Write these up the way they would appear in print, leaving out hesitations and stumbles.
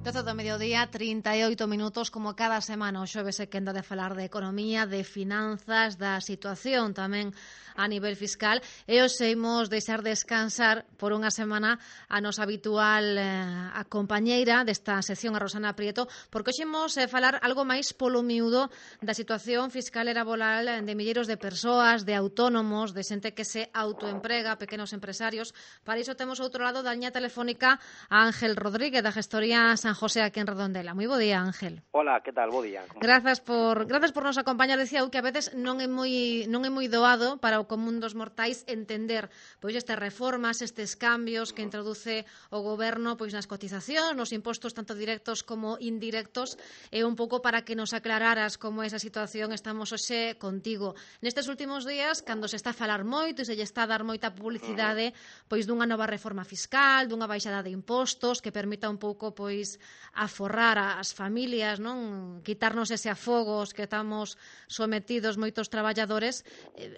12 do mediodía, 38 minutos, como cada semana o xoves se quenda de falar de economía, de finanzas, da situación tamén a nivel fiscal, e hoxe imos deixar descansar por unha semana a nosa habitual a compañeira desta sección, a Rosana Prieto, porque hoxe imos falar algo máis polo miúdo da situación fiscal e laboral de milleiros de persoas, de autónomos, de xente que se autoemprega, pequenos empresarios. Para iso temos outro lado da liña telefónica a Ángel Rodríguez, da gestoría San José aquí en Redondela. Moi bo día, Ángel. Hola, que tal? Bo día. Grazas por nos acompañar. Decía eu que a veces non é moi doado para o común dos mortais entender pois estas reformas, estes cambios que introduce o goberno pois nas cotizacións, nos impostos tanto directos como indirectos, e un pouco para que nos aclararas como é esa situación. Estamos hoxe contigo. Nestes últimos días, cando se está a falar moito e se lle está a dar moita publicidade pois dunha nova reforma fiscal, dunha baixada de impostos que permita un pouco pois aforrar as familias, non? Quitarnos ese afogos que estamos sometidos moitos traballadores,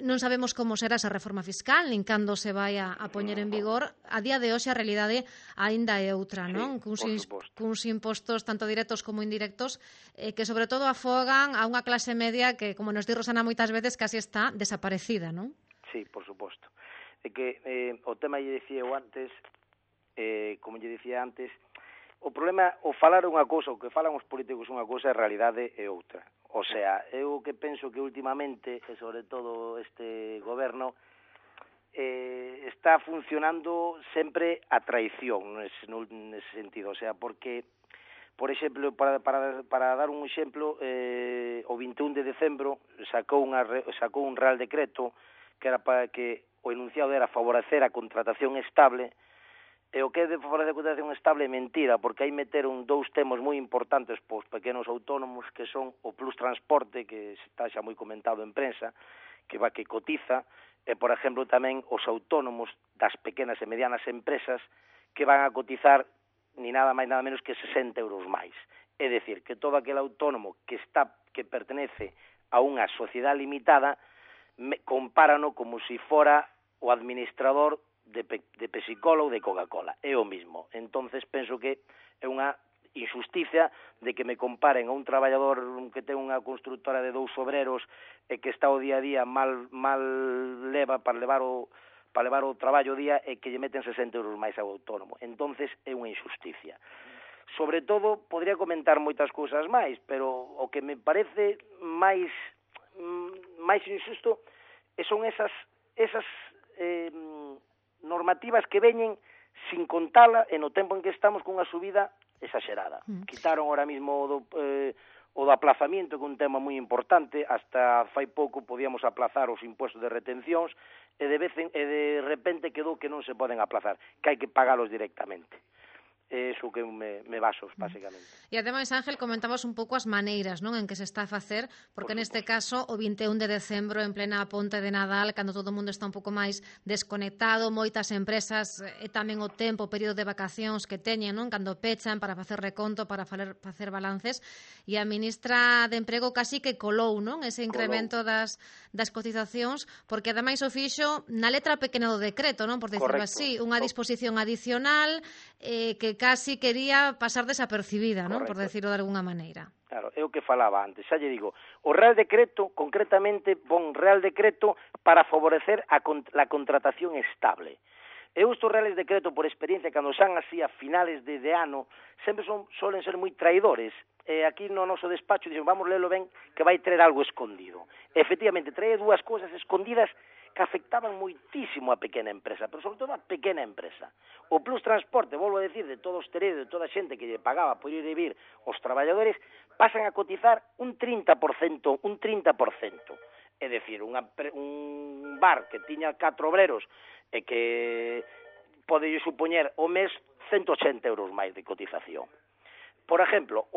non sabemos como será esa reforma fiscal, nin cando se vai a poñer en vigor. A día de hoxe a realidade aínda é outra, non? Cuns impostos tanto directos como indirectos que sobre todo afogan a unha clase media que, como nos di Rosana moitas veces, casi está desaparecida, non? Sí, por suposto. É que o tema lle dicía eu antes, como lle dicía antes, o problema, o falar unha cousa, o que falan os políticos unha cousa, a realidade é outra. O sea, eu que penso que últimamente, e sobre todo este goberno, está funcionando sempre a traición nese sentido. O sea, porque, por exemplo, para dar un exemplo, o 21 de decembro sacou un Real Decreto que era para que o enunciado era favorecer a contratación estable. E o que é de favorecer a contratación estable é mentira, porque aí meteron dous temas moi importantes para os pequenos autónomos, que son o plus transporte, que está xa moi comentado en prensa, que cotiza, e, por exemplo, tamén os autónomos das pequenas e medianas empresas que van a cotizar ni nada máis nada menos que 60 euros máis. É dicir, que todo aquel autónomo que pertenece a unha sociedade limitada compárano como se fora o administrador de Pepsi-Cola ou de Coca-Cola. É o mismo. Entonces penso que é unha injusticia de que me comparen a un traballador que ten unha constructora de 2 obreros e que está o día a día mal leva para levar o traballo o día e que lle meten 60 euros máis ao autónomo. Entonces é unha injusticia. Sobre todo, podría comentar moitas cousas máis, pero o que me parece máis injusto son esas normativas que veñen sin contala e no tempo en que estamos cunha subida exagerada. Quitaron ahora mismo o do aplazamiento, que é un tema moi importante. Hasta fai pouco podíamos aplazar os impuestos de retencións e de repente quedou que non se poden aplazar, que hai que pagalos directamente. Eso que me baso, basicamente. E ademais, Ángel, comentabas un pouco as maneiras, non, en que se está a facer, porque neste caso o 21 de decembro, en plena ponte de Nadal, cando todo o mundo está un pouco máis desconectado, moitas empresas e tamén o tempo, o período de vacacións que teñen, non, cando pechan para facer reconto, para facer balances, e a ministra de Emprego casi que colou, non, ese incremento das cotizacións, porque ademais o fixo na letra pequena do decreto, non, por decirlo así, unha disposición adicional que casi quería pasar desapercibida, non? Por decirlo de alguna maneira. Claro, é o que falaba antes. Xa lle digo, o Real Decreto, concretamente, pon Real Decreto para favorecer a contratación estable. E estes Reales Decreto, por experiencia, cando xan así a finales de ano, sempre solen ser moi traidores. Aquí no noso despacho dixen, vamos lelo ben, que vai traer algo escondido. Efectivamente, trae dúas cousas escondidas que afectaban moitísimo a pequena empresa, pero sobre todo a pequena empresa. O plus transporte, volvo a decir, de todo o hosteleiro, de toda a xente que lle pagaba por ir e vir os traballadores, pasan a cotizar un 30%. É dicir, un bar que tiña 4 obreros e que pode supoñer o mes 180 euros máis de cotización. Por exemplo,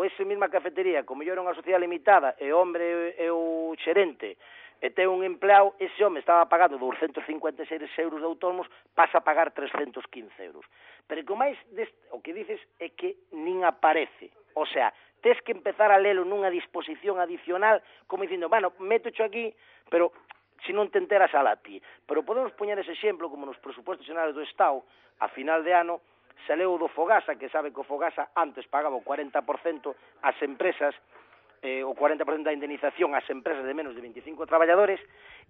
esa mesma cafetería, como yo era unha sociedade limitada, e o hombre é o xerente, e ten un empleado, ese home estaba pagando 256 euros de autónomos, pasa a pagar 315 euros. Pero o máis o que dices é que nin aparece. O sea, tes que empezar a lelo nunha disposición adicional, como dicindo, bueno, métocho aquí, pero se non te enteras a ti. Pero podemos poñer ese exemplo, como nos presupuestos xerais do Estado, a final de ano, se leu do Fogasa, que sabe que o Fogasa antes pagaba o 40% ás empresas, o 40% da indemnización ás empresas de menos de 25 traballadores,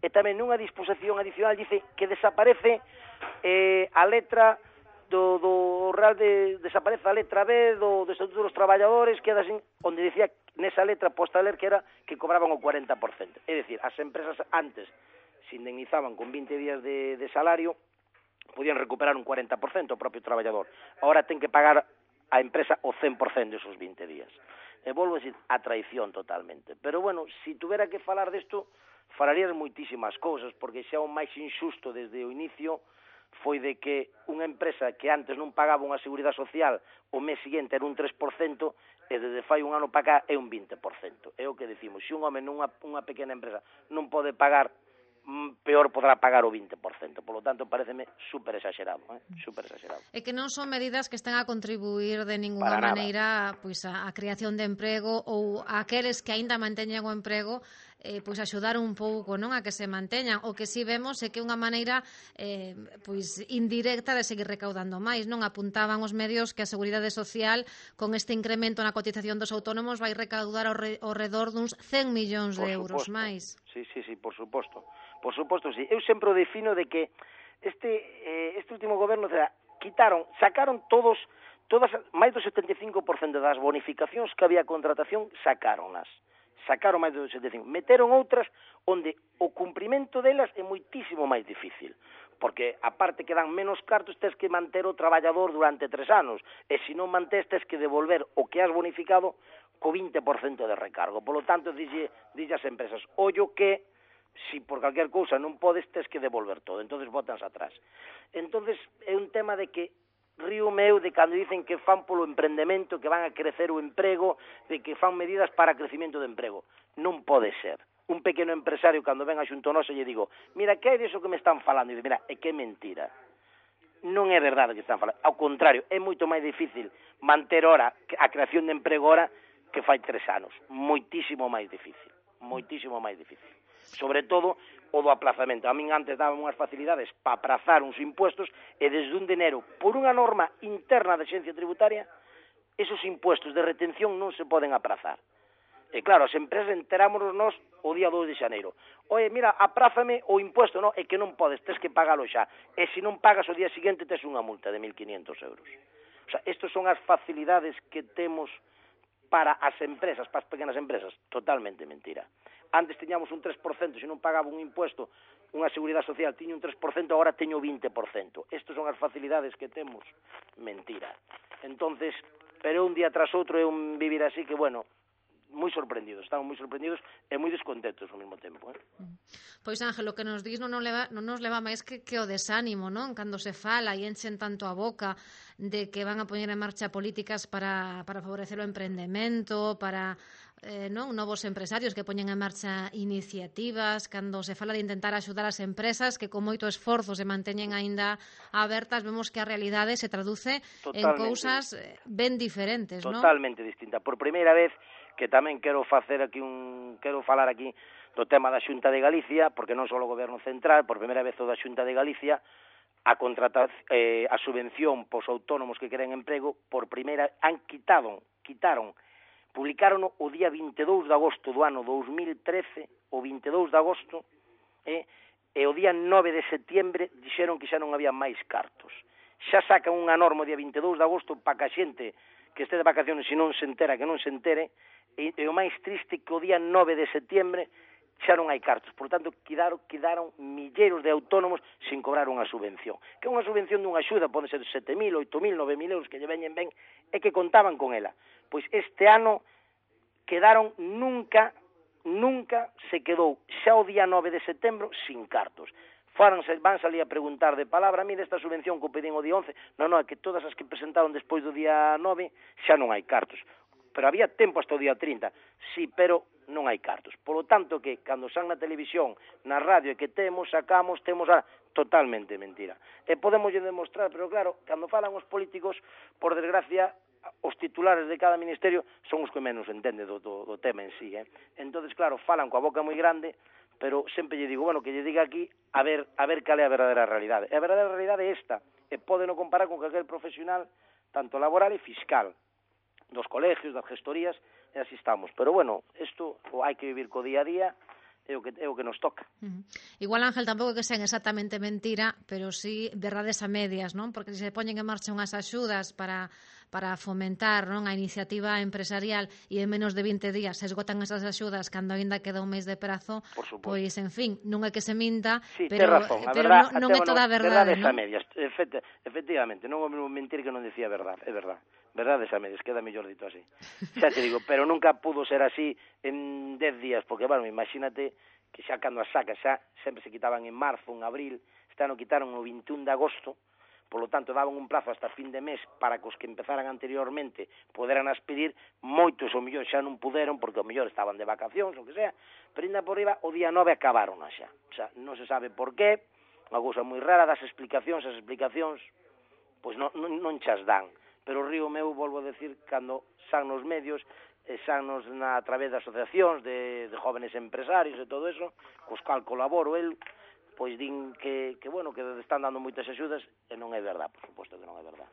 e tamén nunha disposición adicional dice que desaparece a letra do Real desaparece a letra B do Estatuto dos Traballadores, queda así, onde dicía nesa letra posta a ler que era que cobraban o 40%. É dicir, as empresas antes se indemnizaban con 20 días de salario, podían recuperar un 40% o propio traballador. Ahora ten que pagar a empresa o 100% desos 20 días. E volvo a decir, a traición totalmente. Pero bueno, se tuvera que falar desto, falarías moitísimas cousas, porque xa o máis injusto desde o inicio foi de que unha empresa que antes non pagaba unha seguridade social o mes seguinte era un 3%, e desde fai un ano para cá é un 20%. É o que decimos, se un home nunha pequena empresa non pode pagar, peor podrá pagar o 20%. Por lo tanto, pareceme super exagerado, super exagerado. E que non son medidas que están a contribuir de ninguna maneira pois a creación de emprego ou a aqueles que aínda manteñen o emprego, pois axudar un pouco, non, a que se manteñan. O que si vemos é que unha maneira pois indirecta de seguir recaudando máis, non? Apuntaban os medios que a Seguridade Social con este incremento na cotización dos autónomos vai recaudar ao redor duns 100 millóns de euros máis. Sí, por suposto. Por suposto, sí. Eu sempre o defino de que este último goberno, sacaron todas máis do 75% das bonificacións que había a contratación, sacaron máis do 75%. Meteron outras onde o cumprimento delas é moitísimo máis difícil, porque aparte que dan menos cartos, tes que manter o traballador durante 3 anos, e se non mantés, tes que devolver o que has bonificado co 20% de recargo. Por lo tanto, dille ás empresas, ollo que si por calquer cousa non podes, tes que devolver todo, entonces botanse atrás. Entonces é un tema de que río meu de cando dicen que fan polo emprendemento, que van a crecer o emprego, de que fan medidas para crecimiento de emprego. Non pode ser. Un pequeno empresario, cando ven a xunto noso, lle digo, mira, que é diso que me están falando? E dice, mira, é que é mentira. Non é verdade que están falando. Ao contrario, é moito máis difícil manter ora a creación de emprego ora que fai 3 anos. Moitísimo máis difícil. Sobre todo o do aplazamento. A min antes daban unhas facilidades para aprazar uns impuestos e desde 1 de enero, por unha norma interna da Axencia Tributaria, esos impuestos de retención non se poden aprazar. E claro, as empresas enterámonos nós o día 2 de xaneiro. Oye, mira, aprázame o impuesto, non, é que non podes, tes que pagalo xa. E se non pagas o día seguinte, tes unha multa de 1.500 euros. O sea, estas son as facilidades que temos para as empresas, para as pequenas empresas. Totalmente mentira. Antes tiñamos un 3%, se non pagaba un impuesto, unha seguridade social tiña un 3%, agora teño 20%. Estas son as facilidades que temos. Mentira. Entonces, pero un día tras outro é un vivir así que, bueno, moi sorprendidos, estamos moi sorprendidos e moi descontentos ao mesmo tempo. Pois, Ángel, o que nos dis non nos leva máis que o desánimo, non? Cando se fala e enchen tanto a boca de que van a poñer en marcha políticas para favorecer o emprendemento, para novos empresarios que poñen en marcha iniciativas, cando se fala de intentar axudar as empresas que con moito esforzo se manteñen aínda abertas, vemos que a realidade se traduce en cousas ben diferentes, non? Totalmente distinta. Por primeira vez que tamén quero falar aquí do tema da Xunta de Galicia, porque non só o Goberno Central, por primeira vez o da Xunta de Galicia, a subvención pos autónomos que queren emprego, por primeira, quitaron, publicaron o día 22 de agosto do ano 2013, o 22 de agosto, e o día 9 de setembro dixeron que xa non había máis cartos. Xa sacan unha norma o día 22 de agosto para que a xente que este de vacaciones, se non se entera, que non se entere, e o máis triste que o día 9 de setembro xa non hai cartos. Por tanto, quedaron milleiros de autónomos sin cobrar unha subvención. Que é unha subvención dunha axuda, pode ser 7.000, 8.000, 9.000 euros que lle veñen ben, e que contaban con ela. Pois este ano quedaron nunca se quedou xa o día 9 de setembro sin cartos. Van salir a preguntar de palabra, mire esta subvención que o pedín o día 11, non, é que todas as que presentaron despois do día 9 xa non hai cartos. Pero había tempo hasta o día 30, sí, pero non hai cartos. Por lo tanto, que cando san na televisión, na radio, que temos totalmente mentira. E podemos demostrar, pero claro, cando falan os políticos, por desgracia, os titulares de cada ministerio son os que menos entenden do tema en sí. Entonces, claro, falan coa boca moi grande, pero sempre lle digo, bueno, que lle diga aquí a ver cal é a verdadeira realidade. E a verdadeira realidade é esta, e pódeno comparar con calquer profesional, tanto laboral e fiscal, dos colegios, das gestorías, e así estamos. Pero, bueno, isto hai que vivir co día a día, é o que nos toca. Igual, Ángel, tampouco que sean exactamente mentira, pero sí verdades a medias, non? Porque se poñen en marcha unhas axudas para fomentar, non, a iniciativa empresarial e en menos de 20 días se esgotan esas axudas cando aínda queda un mes de prazo, pois, en fin, non é que se minta, sí, pero non é toda a verdade, verdades a medias, efectivamente, non é o mesmo mentir que non decía verdade, é verdade. Verdades a medias, queda mellor dito así. Xa te digo, pero nunca pudo ser así en 10 días, porque, bueno, imagínate que xa cando as sacas, xa sempre se quitaban en marzo, en abril, este ano quitaron o 21 de agosto, polo tanto daban un plazo hasta fin de mes para que os que empezaran anteriormente poderan as pedir, moitos o mellor xa non puderon, porque o mellor estaban de vacacións, o que sea, pero ainda por riba, o día 9 acabaron xa. O sea, non se sabe por qué, unha cousa moi rara, as explicacións, pois non chas dan. Pero o río meu, volvo a decir, cando san nos medios, san a través de asociacións de jóvenes empresarios e todo eso, cos cal colaboro el, pois din que bueno, que están dando moitas axudas, e non é verdad, por suposto que non é verdad.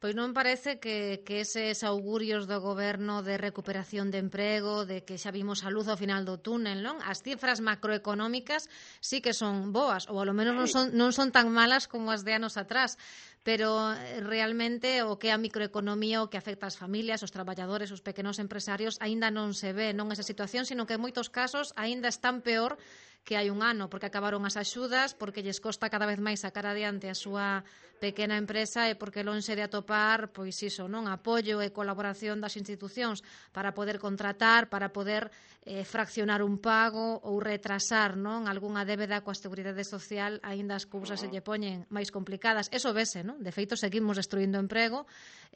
Pois non parece que eses augurios do goberno de recuperación de emprego, de que xa vimos a luz ao final do túnel, non? As cifras macroeconómicas sí que son boas, ou ao menos non son tan malas como as de anos atrás, pero realmente o que é a microeconomía, o que afecta ás familias, os traballadores, os pequenos empresarios, aínda non se ve non esa situación, sino que en moitos casos aínda están peor que hai un ano, porque acabaron as axudas, porque lles costa cada vez máis sacar adiante a súa pequena empresa e porque lonxe de atopar, pois iso, non, apoio e colaboración das institucións para poder contratar, para poder fraccionar un pago ou retrasar, non, algunha débeda coa Seguridade Social, aínda as cousas se lle poñen máis complicadas. Eso vese, non? De feito, seguimos destruindo emprego,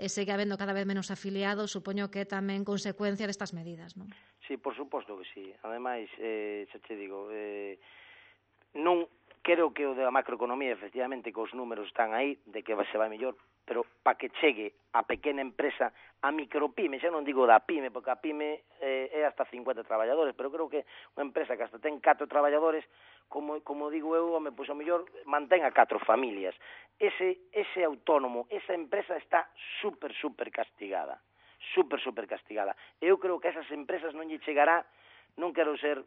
segue habendo cada vez menos afiliados, supoño que é tamén consecuencia destas medidas, non? Sí, por suposto que sí. Ademais, xa te digo, non creo que o da macroeconomía, efectivamente, que os números están aí, de que se vai mellor, pero para que chegue a pequena empresa, a micropime, xa non digo da pyme, porque a pyme é hasta 50 traballadores, pero creo que unha empresa que hasta ten 4 traballadores, como digo eu, pois ao mellor mantén a 4 familias. Ese autónomo, esa empresa está super castigada. Super castigada. Eu creo que a esas empresas non lle chegará, non quero ser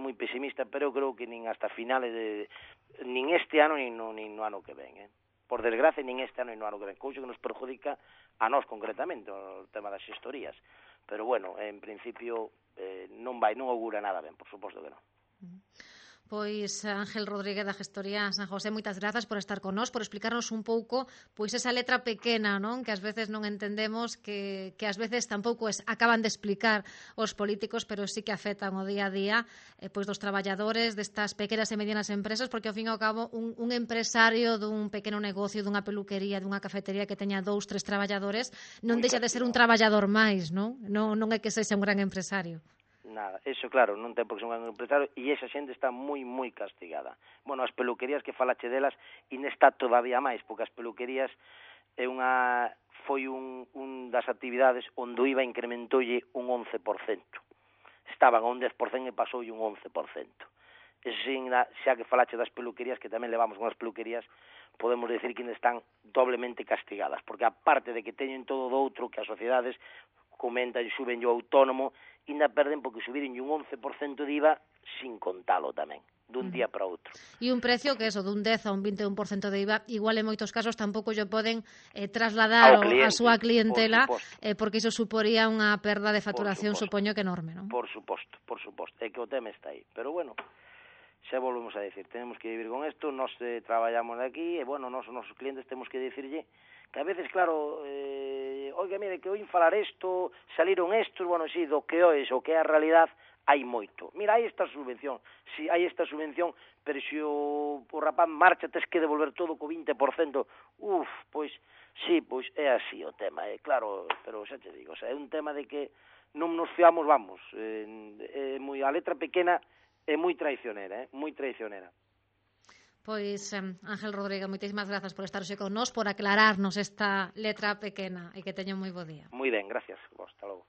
moi pesimista, pero eu creo que nin hasta finales nin este ano nin no ano que ven, Por desgracia, nin este ano nin no ano que ven, cousa que nos perjudica a nós concretamente, o tema das xestorías. Pero bueno, en principio non augura nada ben, por suposto que non. Pois Ángel Rodríguez da Gestoría San José, moitas grazas por estar con nós, por explicarnos un pouco pois esa letra pequena, non, que ás veces non entendemos, que ás veces tampouco acaban de explicar os políticos, pero sí que afectan o día a día pois dos traballadores destas pequenas e medianas empresas, porque ao fin e ao cabo un empresario dun pequeno negocio, dunha peluquería, dunha cafetería que teña 2, 3 traballadores, non deixa de ser un traballador máis, non? Non é que sexa un gran empresario. Nada, eso claro, non ten por que ser un gran empresario, e esa xente está moi castigada. Bueno, as peluquerías que falache delas, e está todavía máis, porque as peluquerías foi un das actividades onde o IVA incrementoulle un 11%. Estaban a un 10% e pasoulle un 11%. Xa que falache das peluquerías, que tamén levamos unhas peluquerías, podemos decir que están doblemente castigadas, porque aparte de que teñen todo do outro, que as sociedades comentan e suben o autónomo, ainda perden porque subiren un 11% de IVA sin contalo tamén, dun día para outro. E un precio que eso, dun 10 a un 21% de IVA, igual en moitos casos tampouco lle poden trasladar a súa clientela, porque iso suporía unha perda de facturación, supoño que enorme, non? Por suposto, é que o tema está aí. Pero bueno, xa volvemos a decir, tenemos que vivir con isto, nós traballamos de aquí, e bueno, nós, os nosos clientes temos que decirlle que a veces, claro, oiga, mire, que oín falar isto, saliron estos, bueno, sí, do que é o que é a realidad, hai moito. Mira, hai esta subvención, si hai esta subvención, pero se o rapaz marcha, tes que devolver todo co 20%, pois, sí, pois é así o tema, claro, pero xa te digo, é un tema de que non nos fiamos, vamos, a letra pequena é moi traicionera, moi traicionera. Pois, Ángel Rodríguez, moitísimas grazas por estar hoxe con nós, por aclararnos esta letra pequena, e que teña un moi bo día. Moi ben, gracias. Hasta logo.